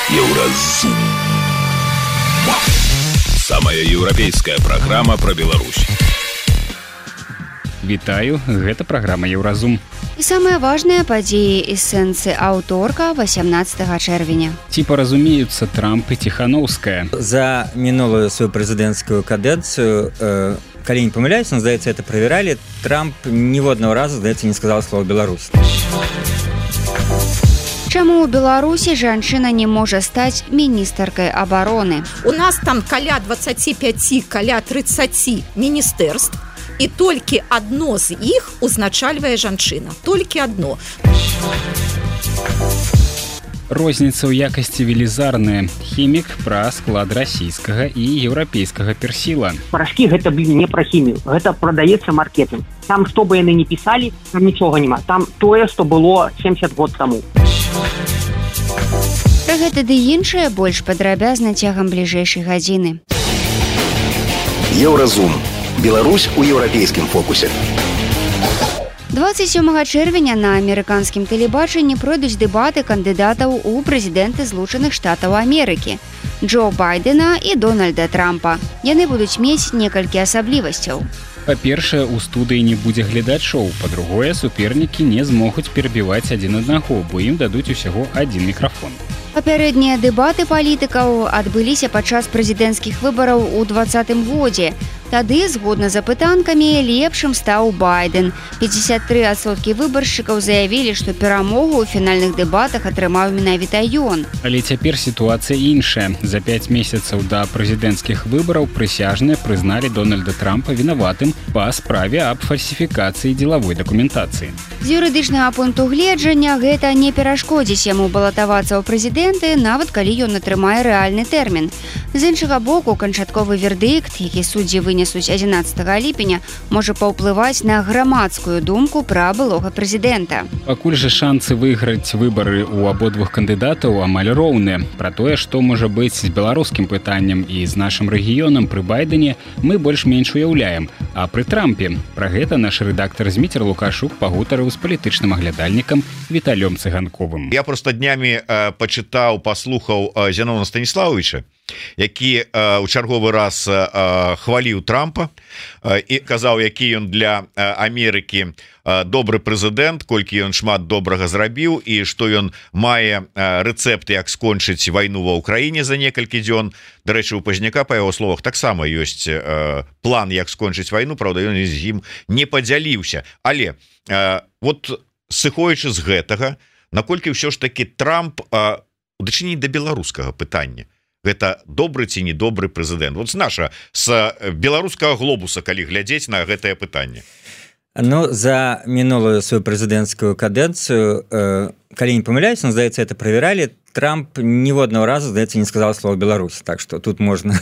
Еўразум. Самая еўрапейская праграма пра Беларусь. Вітаю, гэта праграма Еўразум. І самыя важныя падзеі і сэнсы аўторка 18 чэрвеня. Ці паразумеюцца Трамп і Ціхановская? За мінулую сваю прэзідэнцкую кадэнцыю, калі не памыляюсь, здаецца, это правяралі, Трамп ніводнага разу, здаецца, не сказаў слова «Беларусь». Чаму ў Беларусі жанчына не можа стаць міністаркай абароны? У нас там каля 25, каля 30 міністэрств, і толькі адно з іх узначальвае жанчына. Толькі адно. Розніца ў якасці велізарная. Хімік пра склад расійскага і еўрапейскага персіла. Парашкі гэта, не пра хімію. Гэта прадаецца маркетинг. Там, што бы яны не пісалі, там нічога няма. Там тое, што было 70 год таму. Пра гэта ды іншае больш падрабязна цягам бліжэйшай гадзіны. Еўразум. Беларусь у еўрапейскім фокусе. 27 чэрвеня на амерыканскім тэлебачанні пройдуць дэбаты кандыдатаў у прэзідэнты Злучаных Штатаў Амерыкі Джо Байдена і Дональда Трампа. Яны будуць мець некалькі асаблівасцяў. Па-першае, у студыі не будзе глядачоў. Па-другое, супернікі не змогуць перабіваць адзін аднаго, бо ім дадуць усяго адзін мікрафон. Папярэднія дэбаты палітыкаў адбыліся падчас прэзідэнцкіх выбараў у 2020 годзе. Тады, згодна з апытанкамі, лепшым стаў Байден. 53% выбаршчыкаў заявілі, што перамогу ў фінальных дэбатах атрымаў менавіта ён. Але цяпер сітуацыя іншая. За 5 месяцаў да прэзідэнцкіх выбараў прысяжныя прызналі Дональда Трампа вінаватым па справе аб фальсіфікацыі дзелавой дакументацыі. З юрыдычнага пункту гледжання гэта не перашкодзіць яму балатавацца ў прэзідэнты, нават калі ён атрымае рэальны тэрмін. З іншага боку, канчатковы вердыкт, які суддзі вынесуць 11 ліпеня, можа паўплываць на грамадскую думку пра былога прэзідэнта. Пакуль жа шанцы выйграць выбары ў абодвух кандыдатаў амаль роўныя. Пра тое, што можа быць з беларускім пытаннем і з нашым рэгіёнам пры Байдене, мы больш-менш уяўляем. А пры Трампе пра гэта наш рэдактар Зміцер Лукашук пагутарыў з палітычным аглядальнікам Віталём Цыганковым. Я просто днямі пачытаў, паслухаў Зянона Станіславовича, які ў чарговы раз хваліў Трампа і казаў, які ён для Амерыкі добры прэзідэнт, колькі ён шмат добрага зрабіў і што ён мае рэцэпты, як скончыць вайну ва ўкраіне за некалькі дзён. Дарэчы, у Пазняка, па яго словах, таксама ёсць план, як скончыць вайну, праўда, ён з ім не падзяліўся. Але вот сыходзячы з гэтага, наколькі ўсё ж такі Трамп у дачыненні да беларускага пытання, гэта добры ці не добры прэзідэнт? Вот з беларускага глобуса, калі глядзець на гэтае пытанне. Ну, за мінулую сваю прэзідэнцкую кадэнцыю, калі не памыляюсь, здаецца, это правяралі, Трамп ніводнага разу, здаецца, не сказаў слова «Беларусь». Так што тут можна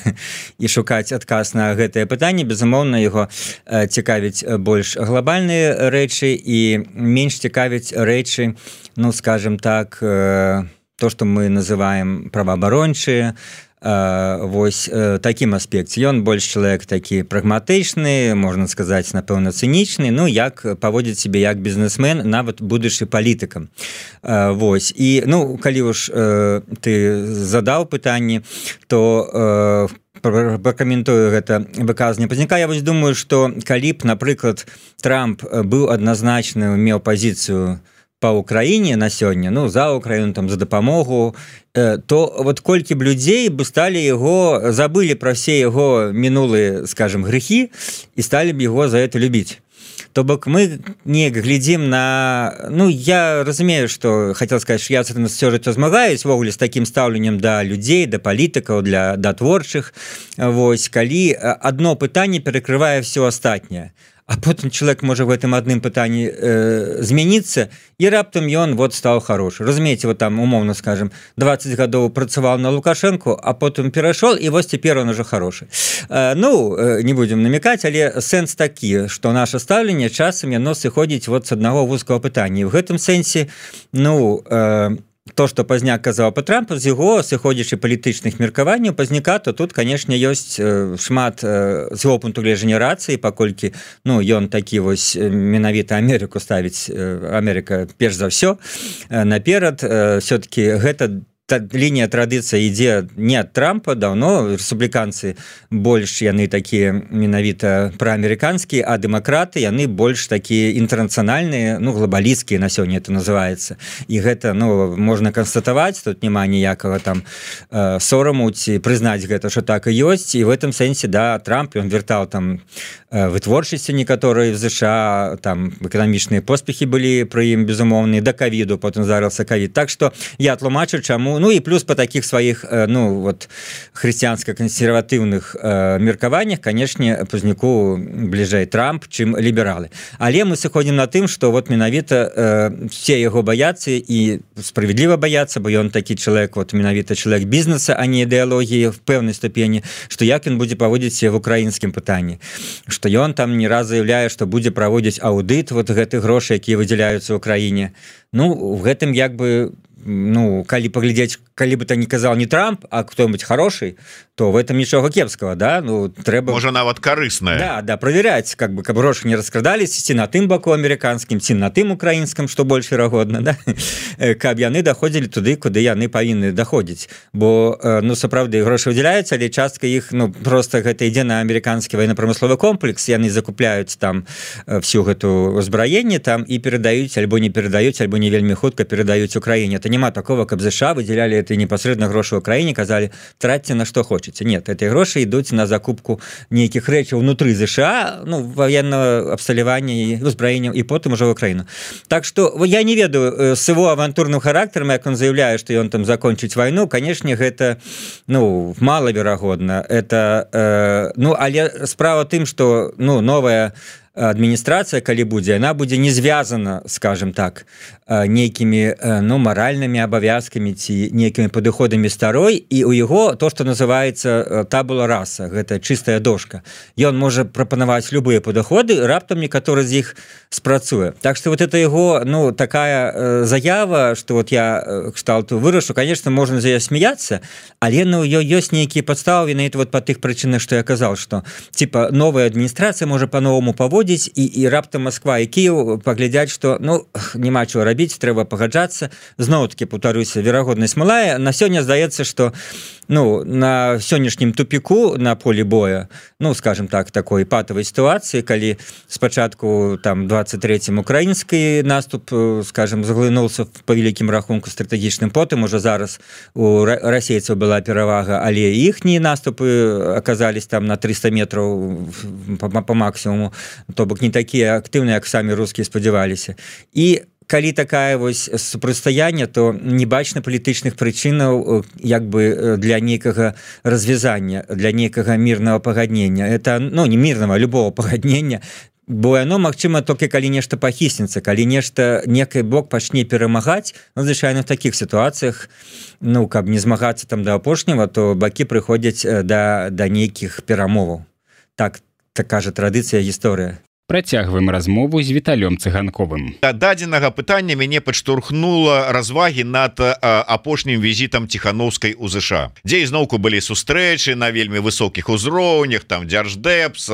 і шукаць адказ на гэтае пытанне. Безумоўна, яго цікавіць больш глобальныя рэчы і менш цікавіць рэчы, ну, скажем так, то, што мы называем праваабарончыя, вось такім аспекце. Ён больш чалавек такі прагматычны, можна сказаць, напэўна, цынічны, ну, як паводзіць сябе як бізнесмен, нават будучы палітыкам. Вось. І, ну, калі ўж ты задаў пытанне, то пракаментую гэта выказанне Пазняка. Я вось думаю, што калі б, напрыклад, Трамп быў адназначны, меў пазіцыю па Украіне на сёння, ну, за Украіну, там, за дапамогу, то вот колькі б людзей бы сталі яго, забылі пра все яго мінулыя, скажем, грэхі і сталі б яго за это любіць. То бок мы неяк глядзім на... Ну, я разумею, што, хацеў сказаць, што я з гэтым ўсё жыццё змагаюсь, ввогуле, з такім стаўленнем да людзей, да палітыкаў, да творчых. Вось, калі адно пытанне перакрывае ўсё астатняе. А потым чалавек можа в гэтым адным пытанні змяніцца, і раптам ён вот стаў хорошы. Разумееце, вот там, умоўна скажем, 20 гадоў працаваў на Лукашэнку, а потым перайшоў, і вось цяпер он уже хорошы. Ну, не будзем намекаць, але сэнс такі, што наша стаўленне часам яно сыходзіць вот з аднаго вузкага пытання. І в гэтым сэнсе, ну, то, што Пазняк казаў па Трампу, з яго сыходзячы палітычных меркаванняў Пазняка, то тут, канешне, ёсць шмат з яго пункту гледжання рацыі, паколькі, ну, ён такі вось менавіта Амерыку ставіць, Амерыка перш за ўсё наперад, все-таки гэта лінія традыцыя ідзе не ад Трампа, давно рэспубліканцы больш яны такія менавіта праамерыканскія, а дэмакраты яны больш такія інтэрнацыянальныя, ну глобалісцкія на сёння это называецца. І гэта, ну, можна канстатаваць, тут няма ніякага там сораму ці прызнаць гэта, што так і ёсць. І в этом сэнсе, да, Трамп, ён вяртаў там вытворчасці некаторыя в ЗША, там эканамічныя поспехі былі пры ім безумоўныя, да ковіду, потым здарыўся ковід. Так што я тлумачу, чаму. Ну і плюс по таких сваіх, ну вот хрысціянска-кансерватыўных меркаваннях, канешне, Пазняку бліжэй Трамп, чым лібералы. Але мы сыходзім на тым, што вот менавіта все яго баяцца і справядліва баяцца, бо ён такі чалавек, вот менавіта чалавек бізнеса, а не ідэалогіі в пэўнай ступені, што як ён будзе паводзіць в украінскім пытанні, што ён там не раз заяўляе, што будзе праводзіць аўдыт вот гэтых грошай, якія выдзяляюцца ў краіне. Ну, в гэтым як бы, ну, калі паглядзець, калі бы то не казал не Трамп, а кто-нибудь хороший, то в этом ничего кепского, да, ну, трэба... Можа, нават карысная. Да, да, проверять, как бы, каб грошы не раскрадались, ці на тым баку амерыканскім, ці на тым украінскім, што больш верагодна, да, каб яны даходзілі туды, куды яны павінны даходзіць, бо, ну, сапраўды, грошы выдзяляюцца, але частка іх, ну, просто гэта ідзе на амерыканскі военно-промысловы комплекс, яны закупляюць там всю гэту узбраенне там і перадаюць, альбо не перадаюць, альбо не вельмі хутка перадаюць Украіне. Это няма такого, каб ЗША выдзялялі это непасрэдна грошы ў краіне, казалі, тратьце на што хочаце. Нет, эти гроши ідуць на закупку нейкіх рэчаў внутры ЗША, ну, военного абсталявання і узбраення, і потым ужо в Украіну. Так што я не ведаю с его авантурным характарам, як он заявляе, што ён там закончыць вайну, канешне, гэта, ну, малаверагодна. Это, ну, але справа тым, што, ну, новая адміністрацыя, калі будзе, яна будзе не звязана, скажем так, нейкімі, ну, маральнымі абавязкамі ці нейкімі падыходамі старой, і у яго то, што называецца табула раса, гэта чыстая дошка. Ён можа прапанаваць любыя падыходы, раптам некаторы з іх спрацуе. Так што вот это яго, ну, такая заява, што вот я кшталту вырашу, конечно, можна за яе смяяцца, але, ну, ёсць нейкія падставы, на это вот па тых прычынах, што я казаў, што, типа, новая адміністрацыя можа па-новаму паводзіць, і раптам Москва і Кіев паглядзяць, што, ну, няма чого рабіць, трэба пагаджацца. Зноў-такі, паўтаруся, верагоднасць малая. На сёння здаецца, што, ну, на сённяшнім тупіку на полі боя, ну, скажем так, такой патавай сітуацыі, калі спачатку там 23-м украінскі наступ, скажем, заглынуўся па вялікім рахунку стратэгічным, потым уже зараз у расейцаў была перавага, але іхнія наступы аказались там на 300 метраў па максімуму, то бок не такія актыўныя, як самі рускія спадзяваліся. І калі такая вось супрацьстаянне, то не бачна палітычных прычынаў як бы для нейкага развязання, для нейкага мірнага пагаднення. Это, ну, не мірнага, любого пагаднення, бо яно магчыма толькі калі нешта пахіснецца, калі нешта некий бок пачне перамагаць, ну, звычайна в такіх сітуацыях, ну, каб не змагацца там да апошняга, то бакі прыходзяць да нейкіх перамоваў. Так кажа традыцыя, гісторыя. Працягваем размову з Віталём Цыганковым. Да дадзенага пытання мяне падштурхнула развагі над апошнім візітам Ціхановскай у ЗША, дзе ізноўку былі сустрэчы на вельмі высокіх узроўнях, там Дзярждэпс,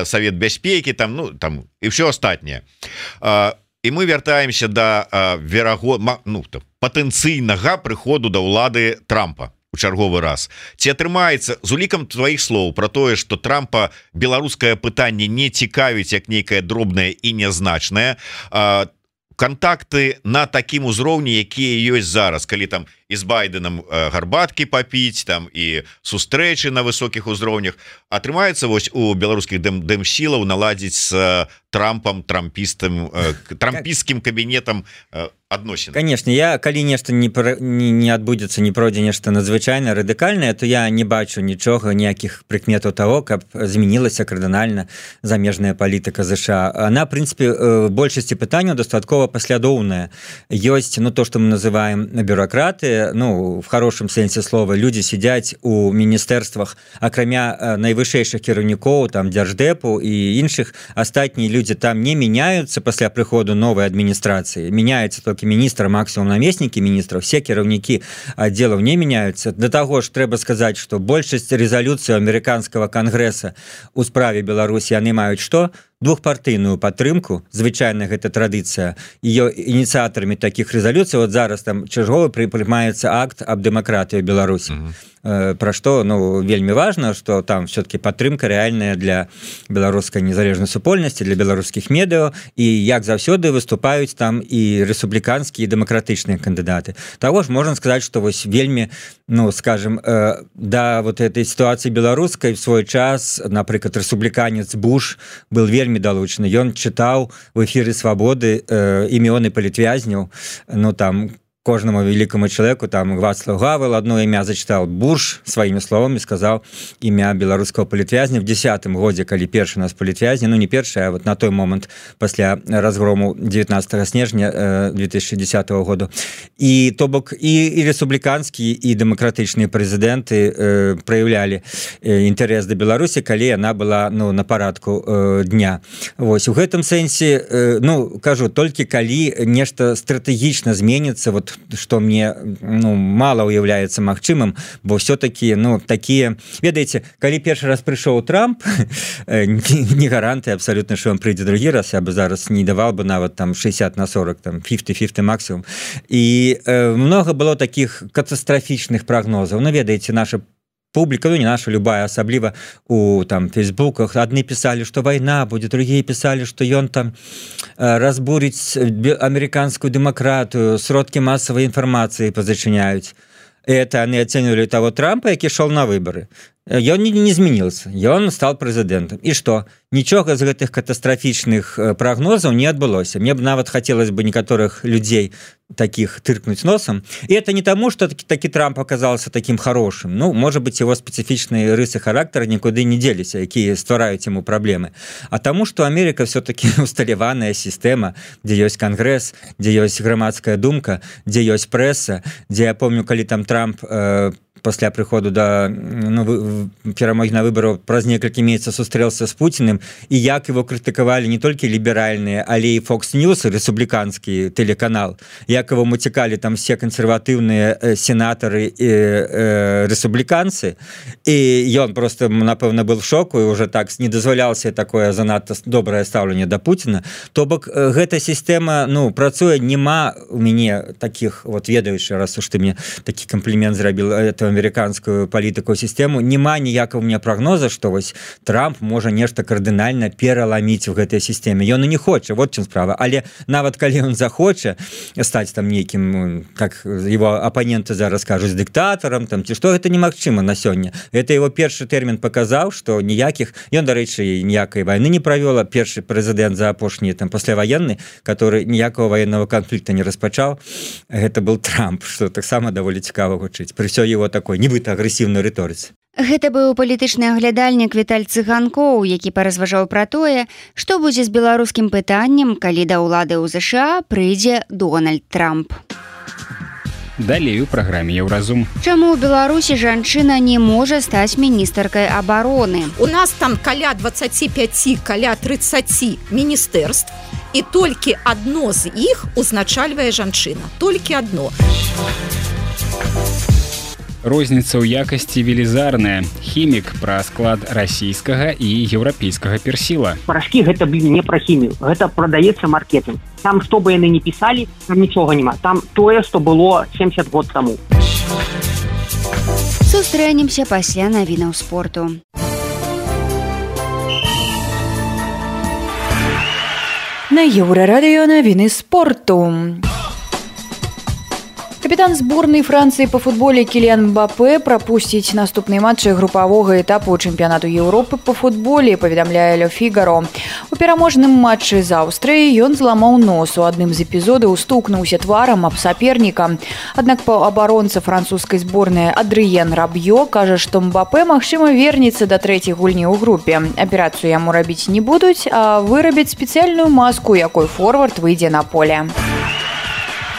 Савет бяспекі, там, ну, там і ўсё астатняе. І мы вяртаемся да патэнцыйнага прыходу да ўлады Трампа у чарговы раз. Ці атрымаецца, з улікам тваіх слоў пра тое, што Трампа беларускае пытанне не цікавіць як нейкае дробнае і нязначнае, кантакты на такім узроўні, якія ёсць зараз, калі там і з Байденам гарбаткі папіць, там і сустрэчы на высокіх узроўнях, атрымаецца вось у беларускіх дэмсілаў наладзіць з Трампам, трампісцкім кабінетам адносін. Конечно, я калі нешта не адбудзецца, не пройдзе нешта надзвычайна радыкальнае, то я не бачу нічога, ніякіх прыкметаў таго, каб змянілася кардынальна замежная палітыка ЗША. Она, в прынцыпе, большасці пытанняў дастаткова паслядоўная. Ёсць, ну, то, што мы называем бюрократы, ну, в хорошым сэнсе слова, людзі сядзяць у міністэрствах, акрамя найвышэйшых кіраўнікоў, там, Дзярждэпу і іншых, астатнія людзі там не мяняюцца пасля прыходу новай адміністрацыі. Мяняецца толькі міністр, максимум намеснікі міністраў, все кіраўнікі аддзелаў не мяняюцца. Да таго ж трэба сказаць, што большасць рэзалюцыі амерыканскага кангрэса у справе Беларусі яны маюць што? двухпартыйную падтрымку. Звычайна гэта традыцыя. Ее ініцыятарамі таких рэзалюцый вот зараз там чарговы прымаецца акт аб дэмакратыі Беларусі. Пра што вельмі важна, што там все-таки падтрымка рэальная для беларускай незалежнай супольнасці, для беларускіх медыа, і як заўсёды выступаюць там і рэспубліканскія і дэмакратычныя кандыдаты. Таго ж можна сказаць, што вось вельмі, скажем, да вот этой сітуацыі беларускай в свой час, напрыклад, рэспубліканец Буш был вельмі далучаны. Ён чытаў в эфіры Свабоды імёны палітвязняў, там кожнаму великому человеку, там Вацлав Гавел одно імя зачитал, Буш своими словами сказал імя беларускага палітвязня в 10-м годзе, калі першы нас палітвязня, не першы, а вот на той момент пасля разгрому 19 снежня 2010 года. І то бок і рэспубліканскія і дэмакратычныя прэзідэнты праяўлялі інтарэс да Беларусі, калі яна была на парадку дня. Вось у гэтым сэнсе, кажу, толькі калі нешта стратэгічна зменіцца, вот что мне мало уяўляецца магчымым, бо все-таки такія, ведаеце, калі першы раз прыйшоў Трамп, не гаранты абсолютно, что он прыйдзе другі раз, я бы зараз не давал бы нават там 60/40, там 50-50 максимум. І много было таких катастрафічных прогнозаў. Ведаеце, наша публіка, не наша, любая, асабліва у там фейсбуках, адны пісалі, што вайна будзе, другія пісалі, што ён там разбурыць амерыканскую дэмакратыю, сродкі масавай інфармацыі пазачыняюць. Это они оценивали того Трампа, які шел на выборы. Ён не змянился, ён стал прэзідэнтам. І што? Нічога з гэтых катастрафічных прагнозаў не адбылося. Мне б нават хацелось бы некаторых людзей таких тыркнуть носом. И это не тому, что таки Трамп оказался таким хорошим. Может быть, его специфичные рысы характера никуда не делись, якія ствараюць ему проблемы. А тому, что Америка все-таки усталяваная система, где есть конгресс, где есть грамадская думка, где есть пресса, где, я помню, калі там Трамп пасля прыходу да перамогі на выбараў праз некалькі месяцаў сустрэўся з Пуціным, і як его крытыкавалі не толькі ліберальныя, але і Fox News, рэспубліканскі тэлеканал, як его муцікалі там все кансерватыўныя сенатары і рэспубліканцы, і ён просто, напэўна, был в шоку і уже так не дазваляўся такое занадта добрае стаўленне да Пуціна. То бок гэта сістэма працуе, нема у мяне таких, вот ведаючы, раз уж ты мне такі комплімент зрабіл, это амерыканскую палітыку сістэму, няма ніякага у меня прогноза, што вось Трамп можа нешта кардынальна пераламіць у гэтай сістэме. Ён і не хоча, вот чым справа. Але нават калі ён захоча стаць там нейкім, как его апаненты зараз кажуць, дыктатарам, там ці што, гэта немагчыма на сёння. Это его першы тэрмін паказаў, што ніякіх, ён, дарэчы, ніякай вайны не правёла, першы прэзідэнт за апошні там пасляваенны, который ніякага военного конфликта не распачаў, гэта был Трамп, што таксама даволі цікава гучыць. Пры ўсё его такой нібыта агрэсіўнай рыторыцы. Гэта быў палітычны аглядальнік Віталь Цыганкоў, які паразважаў пра тое, што будзе з беларускім пытаннем, калі да ўлады ў ЗША прыйдзе Дональд Трамп. Далей у праграме Еўразум. Чаму ў Беларусі жанчына не можа стаць міністаркай абароны? У нас там каля 25, каля 30 міністэрств, і толькі адно з іх узначальвае жанчына. Толькі адно. Розніца ў якасці велізарная. Хімік пра склад расійскага і еўрапейскага персіла. Порошки гэта, не пра хімію. Гэта прадаецца маркетинг. Там, што бы яны не пісалі, там нічога няма. Там тое, што было 70 год таму. Сустрэнемся пасля навінаў спорту. На Еўрарадыё навіны спорту. Капітан зборнай Францыі па футболе Кіліян Мбапэ прапусціць наступныя матчы групавога этапу чэмпіянату Еўропы па футболе, паведамляе Ле Фігаро. У пераможным матчы з Аўстрыяй ён зламаў нос. У адным з эпізодаў стукнуўся тварам аб саперніка. Аднак паўабаронца французскай зборнай Адрыен Рабьё кажа, што Мбапэ, магчыма, вернецца да трэцяй гульні ў групе. Аперацыю яму рабіць не будуць, а вырабяць спецыяльную маску, якой форвард выйдзе на поле.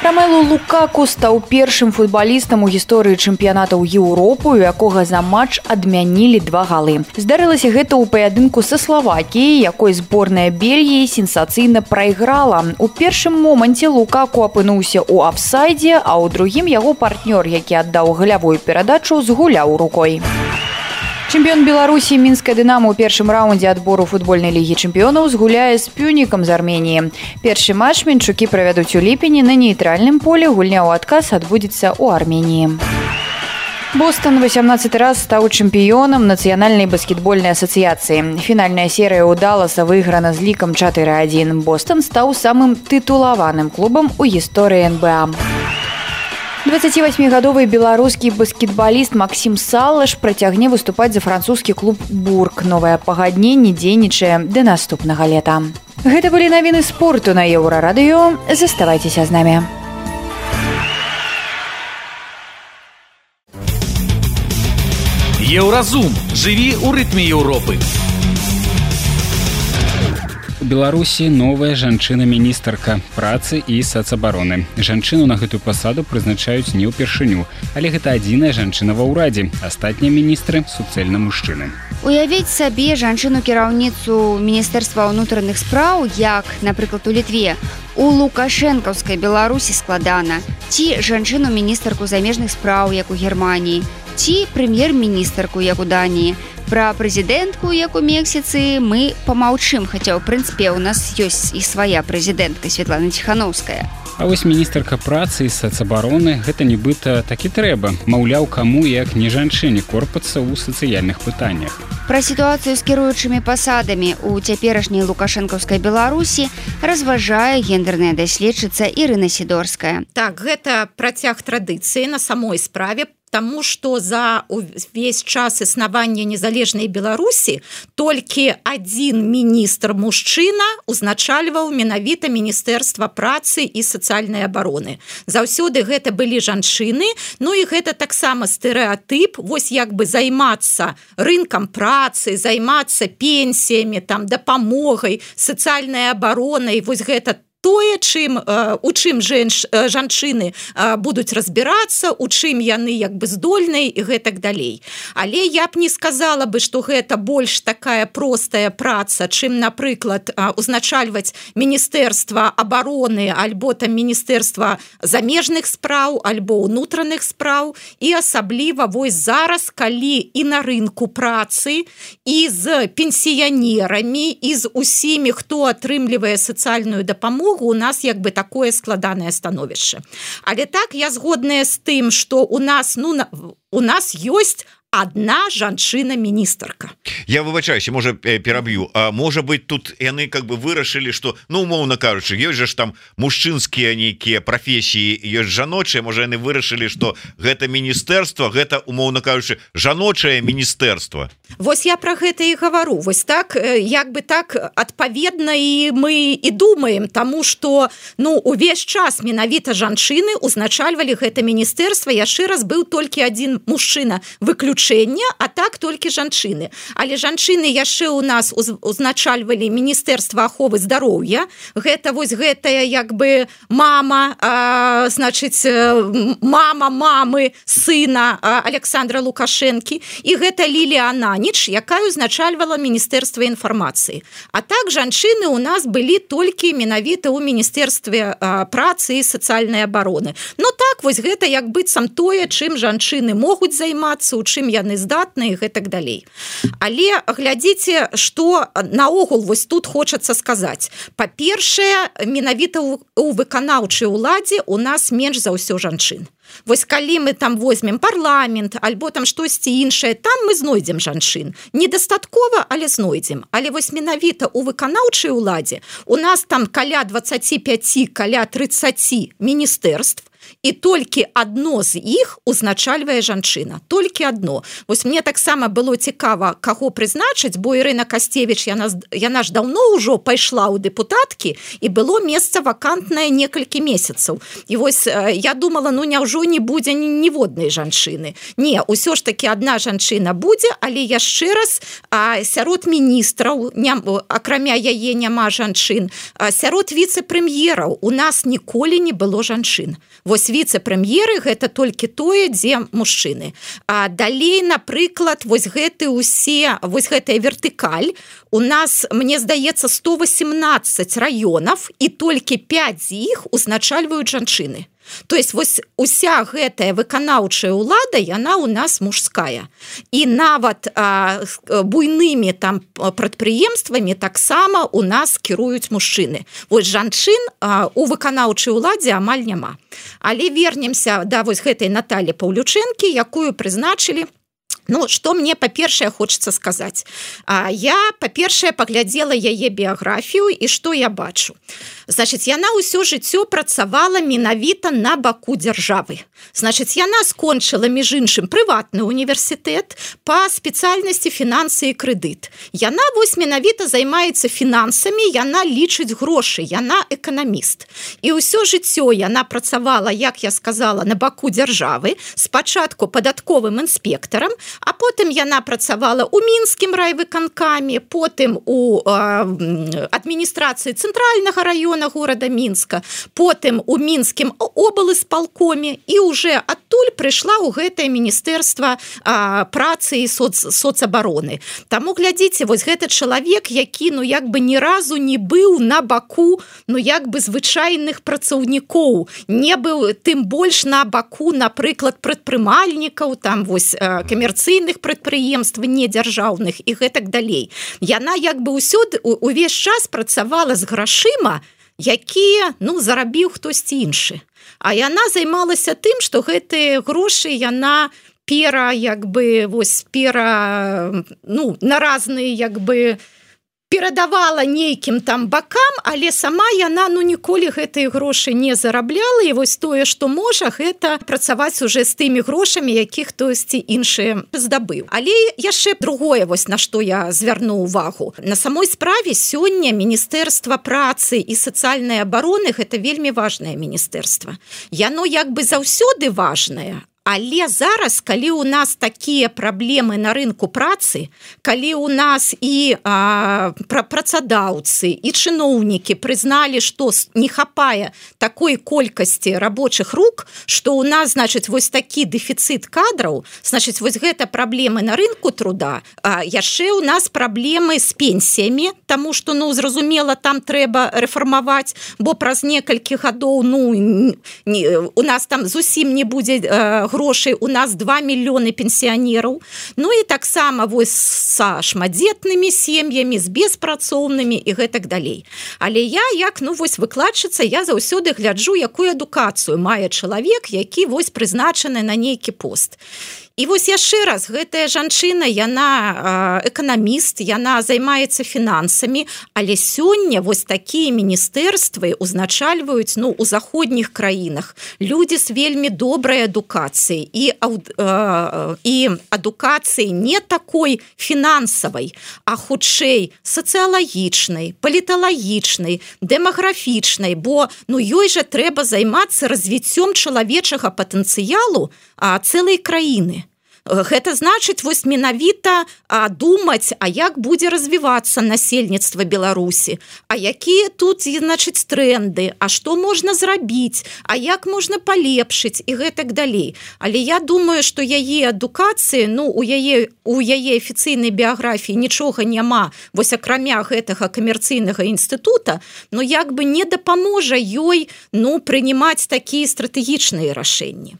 Ромелу Лукаку стаў першым футбалістам у гісторыі чэмпіянатаў Еўропы, у якога за матч адмянілі 2 галы. Здарылася гэта ў паядынку са Славакіяй, якой зборная Бельгіі сенсацыйна прайграла. У першым моманце Лукаку апынуўся ў афсайдзе, а ў другім яго партнёр, які аддаў галявую перадачу, згуляў рукой. Чэмпіён Беларусі мінская Дынамо ў першым раўндзе адбору футбольнай лігі чэмпіёнаў згуляе з Пюнікам з Арменіі. Першы матч мінчукі правядуць у ліпені на нейтральным полі, гульня ў адказ адбудзецца ў Арменіі. Бостон 18 раз стаў чэмпіёнам нацыянальнай баскетбольнай асацыяцыі. Фінальная серыя ў Далласа выйграна з лікам 4-1. Бостон стаў самым тытулаваным клубам у гісторыі НБА. 28-гадовы беларускі баскетбаліст Максім Салаш працягне выступаць за французскі клуб «Бург». Новае пагадненне дзейнічае да наступнага лета. Гэта былі навіны спорту на Еўрарадыё. Заставайцеся з намі. Еўразум. Жыві ў рытме Еўропы. У Беларусі новая жанчына-міністарка працы і сацабароны. Жанчыну на гэтую пасаду прызначаюць не ўпершыню, але гэта адзіная жанчына ва ўрадзе. Астатнія міністры суцэльна мужчыны. Уявіць сабе жанчыну-кіраўніцу Міністэрства ўнутраных спраў, як, напрыклад, у Літве, у лукашэнкаўскай Беларусі складана, ці жанчыну-міністарку замежных спраў, як у Германіі, ці прэм'ер-міністарку, як у Даніі. Пра прэзідэнтку, як у Мексіцы, мы памаўчым, хаця, ў прынцыпе, у нас ёсць і свая прэзідэнтка Светлана Ціханаўская. А вось міністарка працы і сацабароны гэта нібыта так і трэба. Маўляў, каму як не жанчыне корпацца ў сацыяльных пытаннях. Пра сітуацыю з кіруючымі пасадамі ў цяперашняй лукашэнкаўскай Беларусі разважае гендерная даследчыца Ірына Сідорская. Так, гэта працяг традыцыі на самой справе, тому что за увесь час існавання незалежнай Беларусі толькі адзін міністр мужчына узначальваў менавіта Міністэрства працы і сацыяльнай абароны. Заўсёды гэта былі жанчыны, ну і гэта таксама стэрэатып, вось як бы займацца рынкам працы, займацца пенсіямі, там дапамогай, сацыяльнай абаронай, вось гэта тое, у чым жанчыны будуць разбірацца, у чым яны як бы здольныя і гэтак далей. Але я б не сказала бы, што гэта больш такая простая праца, чым, напрыклад, узначальваць Міністэрства абароны альбо там Міністэрства замежных спраў, альбо ўнутраных спраў. І асабліва вось зараз, калі і на рынку працы, і з пенсіянерамі, і з усімі, хто атрымлівае сацыяльную дапамогу, у нас як бы такое складанае становішча. Але так, я згодная з тым, што у нас ёсць одна жанчына-міністарка. Я выбачаюся, можа пераб'ю. Можа быть, тут яны как бы вырашылі, што, ну, умоўна кажучы, ёсць жа ж там мужчынскія нейкія прафесіі, ёсць жаночыя, можа яны вырашылі, што гэта міністэрства, гэта, умоўна кажучы, жаночае міністэрства. Вось я пра гэта і гавару. Вось так, як бы так, адпаведна і мы і думаем, таму што, ну, увесь час менавіта жанчыны узначальвалі гэта міністэрства, яшчэ раз быў толькі адзін мужчына выключэння, а так толькі жанчыны. Але жанчыны яшчэ ў нас узначальвалі Міністэрства аховы здароўя. Гэта вось гэтая як бы мама, значыць, мама мамы сына Александра Лукашэнкі, і гэта Лілія Ананіч, якая узначальвала Міністэрства інфармацыі. А так жанчыны ў нас былі толькі менавіта ў Міністэрстве працы і сацыяльнай абароны. Ну так, вось гэта як быццам тое, чым жанчыны могуць займацца, у чым яны здатныя і гэтак далей. Але глядзіце, што наогул вось тут хочацца сказаць. Па-першае, менавіта ў выканаўчай уладзе у нас менш за ўсё жанчын. Вось калі мы там возьмем парламент альбо там штосьці іншае, там мы знойдзем жанчын. Недастаткова, але знойдзем. Але вось менавіта ў выканаўчай уладзе у нас там каля 25, каля 30 міністэрств, і толькі адно з іх узначальвае жанчына. Толькі адно. Вось мне таксама было цікава, каго прызначыць, бо Ірына Касцевіч, яна ж даўно ўжо пайшла ў дэпутаткі, і было месца вакантнае некалькі месяцаў. І вось я думала, ну няўжо не будзе ніводнай жанчыны. Не, усё ж такі адна жанчына будзе, але яшчэ раз, сярод міністраў, акрамя яе няма жанчын, сярод віцэ-прэм'ераў у нас ніколі не было жанчын. Вось віцэ-прэм'еры гэта толькі тое, дзе мужчыны. А далей, напрыклад, вось гэтая вертыкаль у нас, мне здаецца, 118 раёнаў, і толькі 5 з іх узначальваюць жанчыны. То есть вось уся гэтая выканаўчая ўлада, яна у нас мужская. І нават буйнымі там прадпрыемствамі таксама у нас кіруюць мужчыны. Вось жанчын у выканаўчай уладзе амаль няма. Але вернемся да вось гэтай Наталі Паўлючэнкі, якую прызначылі. Ну, што мне, па-першае, хочацца сказаць. Я, па-першае, паглядзела яе біяграфію, і што я бачу. Значыць, яна ўсё жыццё працавала менавіта на баку дзяржавы. Значыць, яна скончыла, між іншым, прыватны універсітэт па спецыяльнасці фінансы і крэдыт. Яна вось менавіта займаецца фінансамі, яна лічыць грошы, яна эканаміст. І ўсё жыццё яна працавала, як я сказала, на баку дзяржавы, спачатку падатковым інспектарам, а потым яна працавала ў мінскім райвыканкаме, потым у адміністрацыі цэнтральнага раёна горада Мінска, потым у мінскім облсполкоме, і уже адтуль прыйшла ў гэтае міністэрства працы і соцабароны. Таму глядзіце, вось гэты чалавек, які як бы ні разу не быў на баку як бы звычайных працаўнікоў, не быў тым больш на баку, напрыклад, прадпрымальнікаў, там вось камерцыйных прадпрыемств недзяржаўных і гэтак далей. Яна як бы увесь час працавала з грашыма, якія, зарабіў хтосьці іншы. А яна займалася тым, што гэтыя грошы яна на разныя перадавала нейкім там бакам, але сама яна ніколі гэтыя грошы не зарабляла, і вось тое, што можа, гэта працаваць уже з тымі грошамі, якіх хтосьці іншы здабыў. Але яшчэ другое, вось на што я звярну ўвагу. На самой справе сёння Міністэрства працы і сацыяльнай абароны гэта вельмі важнае міністэрства. Яно як бы заўсёды важнае. Але зараз, калі ў нас такія праблемы на рынку працы, калі ў нас і працадаўцы, і чыноўнікі прызналі, што не хапае такой колькасці рабочых рук, што ў нас, значыць, вось такі дэфіцыт кадраў, значыць, вось гэта праблемы на рынку труда, яшчэ ў нас праблемы з пенсіямі, таму што, зразумела, там трэба рэфармаваць, бо праз некалькі гадоў, у нас там зусім не будзе грошай, у нас 2 мільёны пенсіянераў, і таксама вось са шматдзетнымі сем'ямі, з беспрацоўнымі і гэтак далей. Але я, як выкладчыца, я заўсёды гляджу, якую адукацыю мае чалавек, які вось прызначаны на нейкі пост. І вось яшчэ раз, гэтая жанчына, яна эканаміст, яна займаецца фінансамі, але сёння вось такія міністэрствы узначальваюць у заходніх краінах людзі з вельмі добрай адукацыяй і адукацыяй не такой фінансавай, а хутчэй сацыялагічнай, паліталагічнай, дэмаграфічнай, бо ёй жа трэба займацца развіццём чалавечага патэнцыялу цэлай краіны. Гэта значыць вось менавіта думаць, як будзе развівацца насельніцтва Беларусі, якія тут, значыць, тренды, што можна зрабіць, як можна палепшыць і гэтак далей. Але я думаю, што яе адукацыі, у яе афіцыйнай біяграфіі нічога няма, вось акрамя гэтага камерцыйнага інстытута, як бы не дапаможа ёй, прынимаць такія стратэгічныя рашэнні.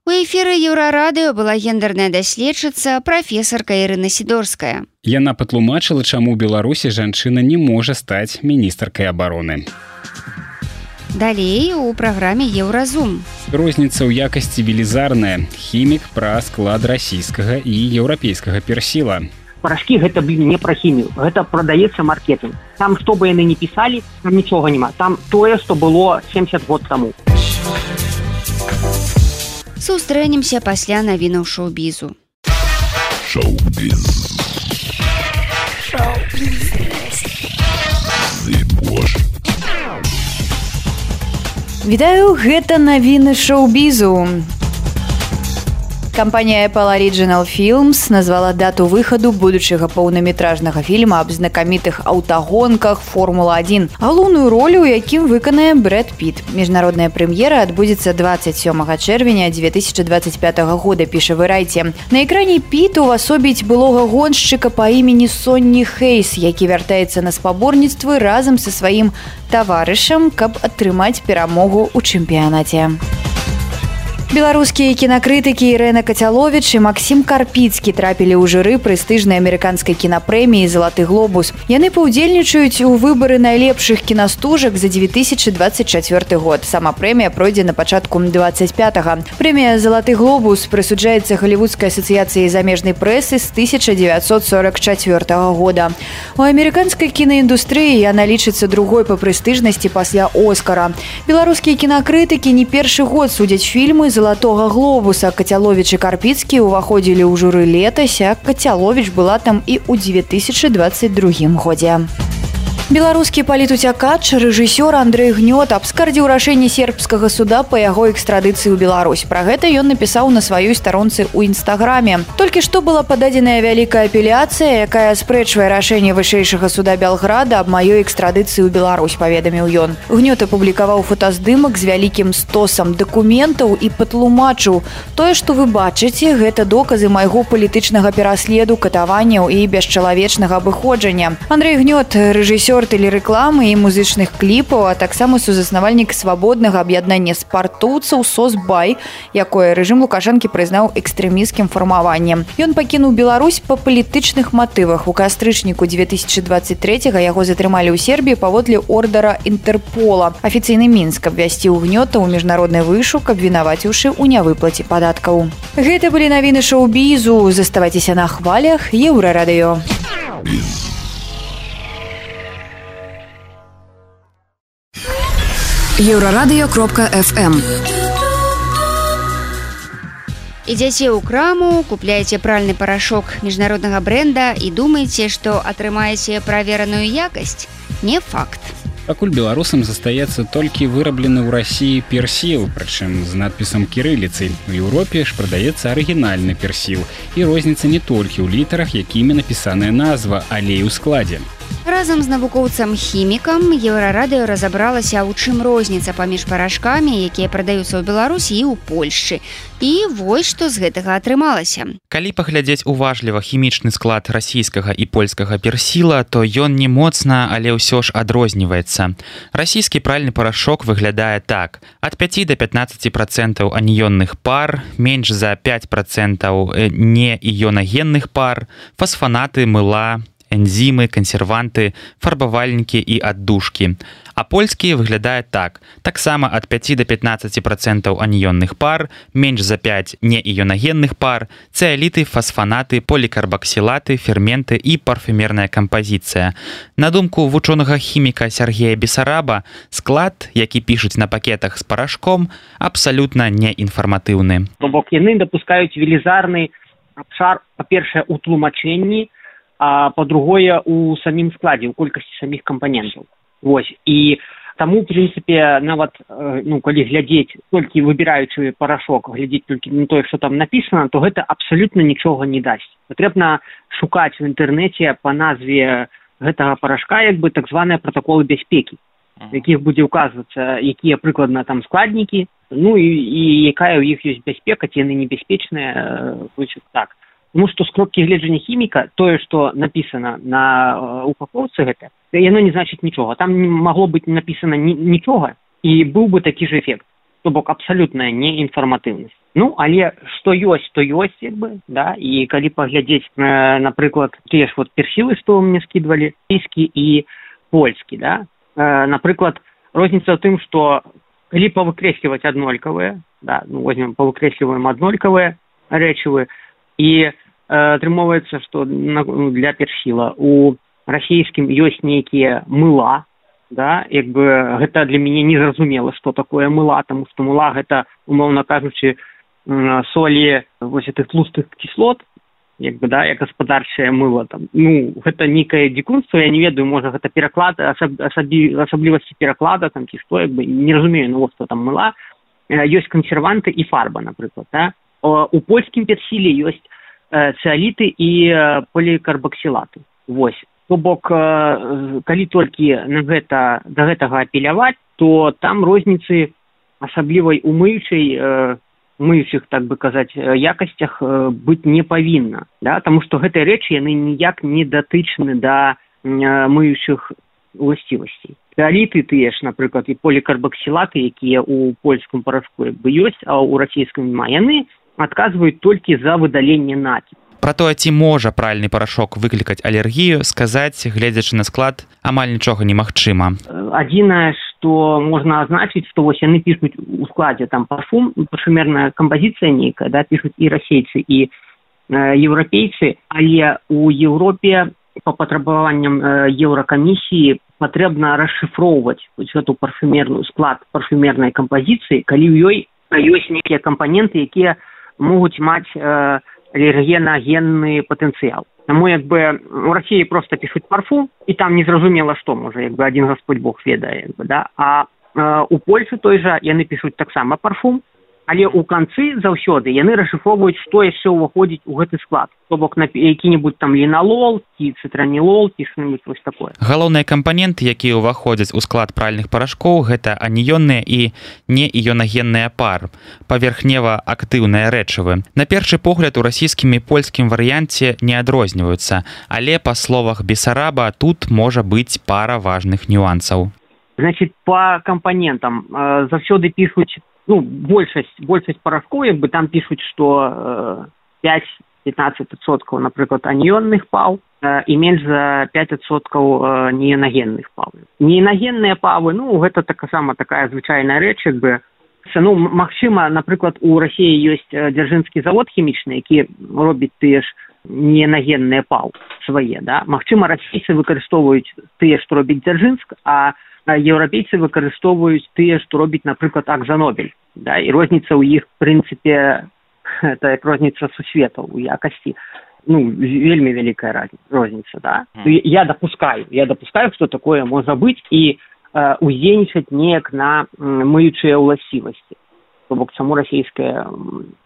У эфіры Еўрарадыё была гендерная даследчыца, прафесарка Ірына Сідорская. Яна патлумачыла, чаму ў Беларусі жанчына не можа стаць міністаркай абароны. Далей у праграме Еўразум. Розніца ў якасці велізарная. Хімік пра склад расійскага і еўрапейскага персіла. Порошки гэта не про хімію, гэта прадаецца маркетинг. Там, што бы яны не пісалі, там нічога няма. Там тое, што было 70 год таму. Сустрэнемся пасля навінаў шоу-бізу. Шоу-біз. Вітаю, гэта навіны шоу-бізу. Кампанія Apple Original Films назвала дату выхаду будучага паўнаметражнага фільма аб знакамітых аўтагонках «Формула-1». Галоўную ролю, у якім выканае Брэд Піт. Міжнародная прэм'ера адбудзецца 27 чэрвеня 2025 года, піша Variety. На экране Піт увасобіць былога гоншчыка па імені Сонні Хейс, які вяртаецца на спаборніцтвы разам са сваім таварышам, каб атрымаць перамогу ў чэмпіянаце. Беларускія кінакрытыкі Ірэна Кацяловіч і Максім Карпіцкі трапілі ў журы прэстыжнай амерыканскай кінапрэміі «Залаты глобус». Яны паўдзельнічаюць у выбары найлепшых кінастужак за 2024 год. Сама прэмія пройдзе на пачатку 25-го. Прэмія «Залаты глобус» прысуджаецца Галівудскай асацыяцыяй замежнай прэсы з 1944 года. У амерыканскай кінаіндустрыі яна лічыцца другой па прэстыжнасці пасля «Оскара». Беларускія кінакрытыкі не першы год судзяць фільмы «Залатога глобуса». Кацяловіч і Карпіцкі ўваходзілі ў журы летась, а Кацяловіч была там і ў 2022 годзе. Беларускі палітуцякач, рэжысёр Андрэй Гнёт абскардзіў рашэнне сербскага суда па яго экстрадыцыі ў Беларусь. Пра гэта ён напісаў на сваёй старонцы ў інстаграме. Толькі што была пададзеная вялікая апеляцыя, якая спрэчвае рашэнне вышэйшага суда Белграда аб маёй экстрадыцыі ў Беларусь, паведаміў ён. Гнёт апублікаваў фотаздымак з вялікім стосам дакументаў і патлумачыў: тое, што вы бачыце, гэта доказы майго палітычнага пераследу, катаванняў і бесчалавечнага абыходжання. Андрэй Гнёт, рэжысёр тэлерэкламы і музычных кліпаў, а таксама сузаснавальнік свабоднага аб'яднання спартоўцаў «Сосбай», якое рэжым Лукашэнкі прызнаў экстрэмісцкім фармаваннем. Ён пакінуў Беларусь па палітычных матывах. У кастрычніку 2023-го яго затрымалі ў Сербіі паводле ордара Інтэрпола. Афіцыйны Мінск абвясціў Гнёта ў міжнародны вышук, абвінаваціўшы ў нявыплаце падаткаў. Гэта былі навіны шоу-бізу. Заставайцеся на хвалях Еўрарадыё. Еўрарадыё.фм. Ідзяце ў краму, купляеце пральны парашок міжнароднага бренда і думаеце, што атрымаеце правераную якасць? Не факт. Пакуль беларусам застаецца толькі выраблены ў Расіі персіл, прычым з надпісам кірыліцай. У Еўропе ж прадаецца арыгінальны персіл. І розніца не толькі ў літарах, якімі напісаная назва, але і ў складзе. Разам з навукоўцам-хімікам Еўрарадыё разабралася, у чым розніца паміж парашкамі, якія прадаюцца ў Беларусі і ў Польшчы. І вось што з гэтага атрымалася. Калі паглядзець уважліва хімічны склад расійскага і польскага персіла, то ён не моцна, але ўсё ж адрозніваецца. Расійскі пральны парашок выглядае так: ад 5 до 15% аніённых пар, менш за 5% неіёнагенных пар, фасфанаты, мыла, энзімы, кансерванты, фарбавальнікі і аддушкі. А польскі выглядае так: таксама ад 5 до 15% аніённых пар, менш за 5 неіёнагенных пар, цэаліты, фасфанаты, полікарбаксілаты, ферменты і парфюмерная кампазіцыя. На думку вучонага хіміка Сергея Бесараба, склад, які пішуць на пакетах з парашком, абсалютна неінфарматыўны. То бок яны дапускаюць велізарны абшар, па-першае, у тлумачэнні, а па-другое, у самім складзе, у колькасці саміх кампанентаў. Вось. І таму, в прынцыпе, нават, калі глядзець, толькі выбіраючы парашок, глядзець толькі на тое, што там напісана, то гэта абсалютна нічога не дасць. Патрэбна шукаць в інтэрнэце па назве гэтага парашка, як бы, так званыя пратаколы бяспекі, в якіх будзе ўказвацца, якія прыкладна там складнікі, і якая ў іх ёсць бяспека, ці яны небяспечныя, так. Тому што з кропкі гледжання хіміка, тое, што напісана на упаковцы гэта, яно не значыць нічога. Там не магло быць напісана нічога, і быў бы такі ж эфект. То бок абсалютная неінфарматыўнасць. Але што ёсць, то ёсць, як бы, да, і калі паглядзець, напрыклад, тыя ж персілы, што мне скідвалі, расійскі і польскі, да, напрыклад, розніца ў тым, што калі павыкрэсліваць аднолькавыя, да, возьмем, павыкрэсліваем аднолькавыя рэчывы, і атрымоўваецца, што для персіла у расійскім ёсць нейкія мыла, да, як бы гэта для мяне незразумела, што такое мыла, таму што мыла гэта, умоўна кажучы, солі вось гэтых тлустых кіслот, як бы, да, як гаспадарчае мыло там. Гэта нейкае дзікунства, я не ведаю, можа гэта пераклад, асаблівасці пераклада там ці што, як бы не разумею, што там мыла. Ёсць кансерванты і фарба, напрыклад, да. у польскім персіле ёсць цыаліты і полікарбаксілаты. Вось. То бок, калі толькі да гэтага апеляваць, то там розніцы асаблівай мыючых, так бы казаць, якасцях быць не павінна. Да? Таму што гэтыя рэчы, яны ніяк не датычны да мыючых уласцівасцей. Цыаліты тыя ж, напрыклад, і полікарбаксілаты, якія ў польскім парашку ёсць, а ў расійскім няма, яны адказваюць толькі за выдаленне накіпу. Пра тое, ці можа пральны парашок выклікаць алергію, сказаць, гледзячы на склад, амаль нічога немагчыма. Адзінае, што можна азначыць, што вось яны пішуць у складзе там парфум, парфумерная кампазіцыя нейкая, да, пішуць і расейцы, і еўрапейцы, але ў Еўропе па патрабаванням Еўракамісіі патрэбна расшыфроўваць гэту парфумерную склад парфумернай кампазіцыі, калі ў ёй ёсць нейкія кампаненты, якія могуць маць аллергенагенны патэнцыял. Таму у Расіі проста пішуць парфум, і там незразумела што, можа, адзін Гасподь Бог ведае, да? А у Польшы той жа яны пішуць таксама парфум, але ў канцы заўсёды яны расшыфроўваюць, што яшчэ ўваходзіць у гэты склад. То бок які-небудзь там ліналол, ці цытранілол, ці што-небудзь вось такое. Галоўныя кампаненты, якія ўваходзяць у склад пральных парашкоў, гэта аніённыя і неіёнагенныя пар, паверхнева-актыўныя рэчывы. На першы погляд у расійскім і польскім варыянце не адрозніваюцца, але, па словах Бесараба, тут можа быць пара важных нюансаў. Значит, по кампанентам заўсёды пішуць, большасць парашкоў, там пішуць, што 5-15%, напрыклад, аніённых паў і менш за 5% неіёнагенных паў. Неіёнагенныя павы, гэта таксама такая звычайная рэч, магчыма, напрыклад, у Расіі ёсць дзяржынскі завод хімічны, які робіць тыя ж неіёнагенныя паў свае, да? Магчыма, расійцы выкарыстоўваюць тыя, што робіць Дзяржынск, а еўрапейцы выкарыстоўваюць тыя, што робіць, напрыклад, Акзанобель. Да? І розніца ў іх, в прынцыпе, это як розніца сусветаў у якасці. Вельмі вялікая розніца. Да? Я допускаю, што такое можа быць, і уздзейнічаць неяк на мыючыя ўласцівасці. То бок, чаму расійская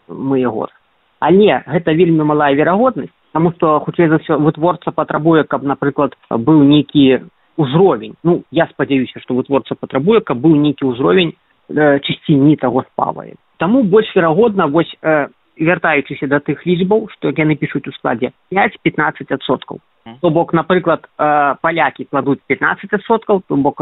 мые год. Але гэта вельмі малая верагоднасць, таму што, хутчэй за ўсё, вытворца патрабуе, каб, напрыклад, быў нейкі узровень. Я спадзяюся, што вытворца патрабуе, каб быў нейкі ўзровень чысціні таго спавы. Таму больш верагодна, вось, вяртаючыся да тых лічбаў, што яны пішуць у складзе 5-15%. То бок, напрыклад, палякі кладуць 15%, то бок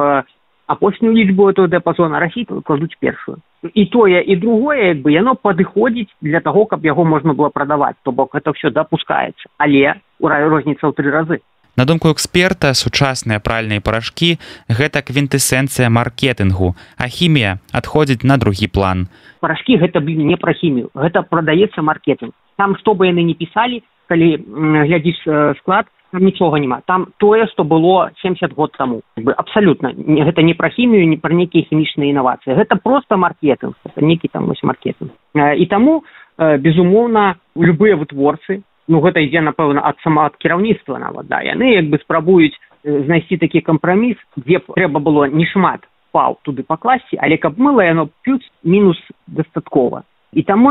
апошнюю лічбу этого дыапазона, расійцы кладуць першую. І тое, і другое, яно падыходзіць для таго, каб яго можна было прадаваць. То бок, гэта ўсё дапускаецца. Але розніца ў 3 разы. На думку эксперта, сучасныя пральныя парашкі – гэта квінтэсенцыя маркетынгу, а хімія адходзіць на другі план. Парашкі – гэта, не пра хімію, гэта прадаецца маркетынг. Там, што бы яны не пісалі, калі глядзіш склад, там нічога няма. Там тое, што было 70 год таму. Абсалютна. Гэта не пра хімію, не пра нейкія хімічныя інавацыі. Гэта проста маркетынг. Гэта нейкі там маркетынг. І таму, безумоўна, любыя вытворцы, гэта ідзе, напэўна, ад кіраўніцтва нават, да, яны спрабуюць знайсці такі кампраміс, дзе трэба было не шмат паў туды пакласці, але каб мыла яно плюс-мінус дастаткова. І таму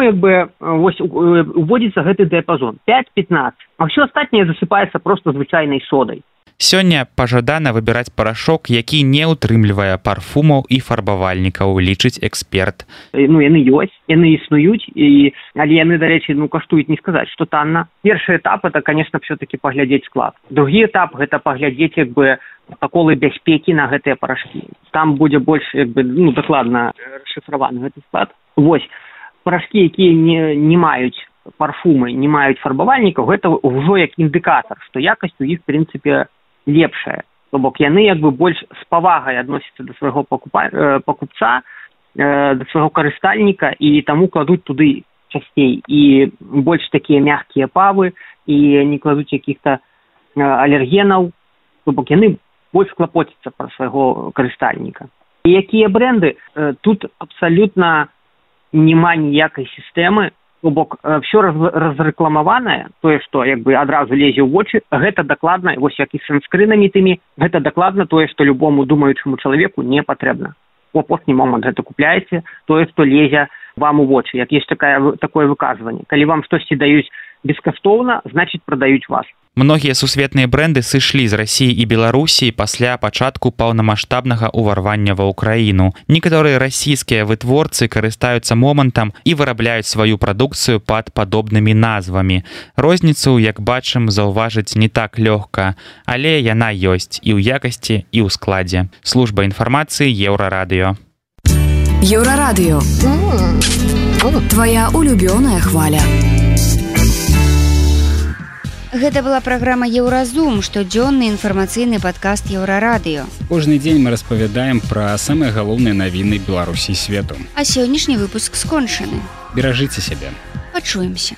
вось уводзіцца гэты дыапазон 5-15, а ўсё астатняе засыпаецца проста звычайнай содай. Сёння пажадана выбіраць парашок, які не ўтрымлівае парфумаў і фарбавальнікаў, лічыць эксперт. Яны ёсць, яны існуюць, але яны, дарэчы, каштуюць не сказаць, што танна. Першы этап – это, конечно, все-таки паглядзець склад. Другі этап – гэта паглядзець пратаколы бяспекі на гэтыя парашкі. Там будзе больш дакладна расшыфраваны гэты склад. Вось, парашкі, якія не маюць парфумы, не маюць фарбавальнікаў, гэта ўжо як індыкатар, што якасць у іх, в прынцыпе, лепшая. То бок яны больш з павагай адносяцца да свайго пакупца, да свайго карыстальніка, і таму кладуць туды часцей. І больш такія мягкія павы, і не кладуць якіх-то алергенаў. То бок яны больш клапоцяцца пра свайго карыстальніка. І якія бренды? Тут абсалютна няма ніякай сістэмы. То бок, все разрэкламаванае, тое, што адразу лезе ў вочы, гэта дакладна, вось як і з санскрынамі тымі, гэта дакладна тое, што любому думаючаму чалавеку не патрэбна. у апошні момант гэта купляеце тое, што лезе вам у вочы. Як ёсць такое выказванне. Калі вам штосьці даюць бескаштоўна, значыць прадаюць вас. Многія сусветныя брэнды сышлі з Расіі і Беларусі пасля пачатку паўнамаштабнага ўварвання ва ўкраіну. Некаторыя расійскія вытворцы карыстаюцца момантам і вырабляюць сваю прадукцыю пад падобнымі назвамі. Розніцу, як бачым, заўважыць не так лёгка, але яна ёсць і ў якасці, і ў складзе. Служба інфармацыі Еўрарадыё. Еўрарадыё. Твая улюбёная хваля. Гэта была праграма Еўразум, штодзённы інфармацыйны падкаст Еўрарадыё. Кожны дзень мы распавядаем пра самыя галоўныя навіны Беларусі і свету. А сённяшні выпуск скончаны. Беражыце сябе. Пачуемся.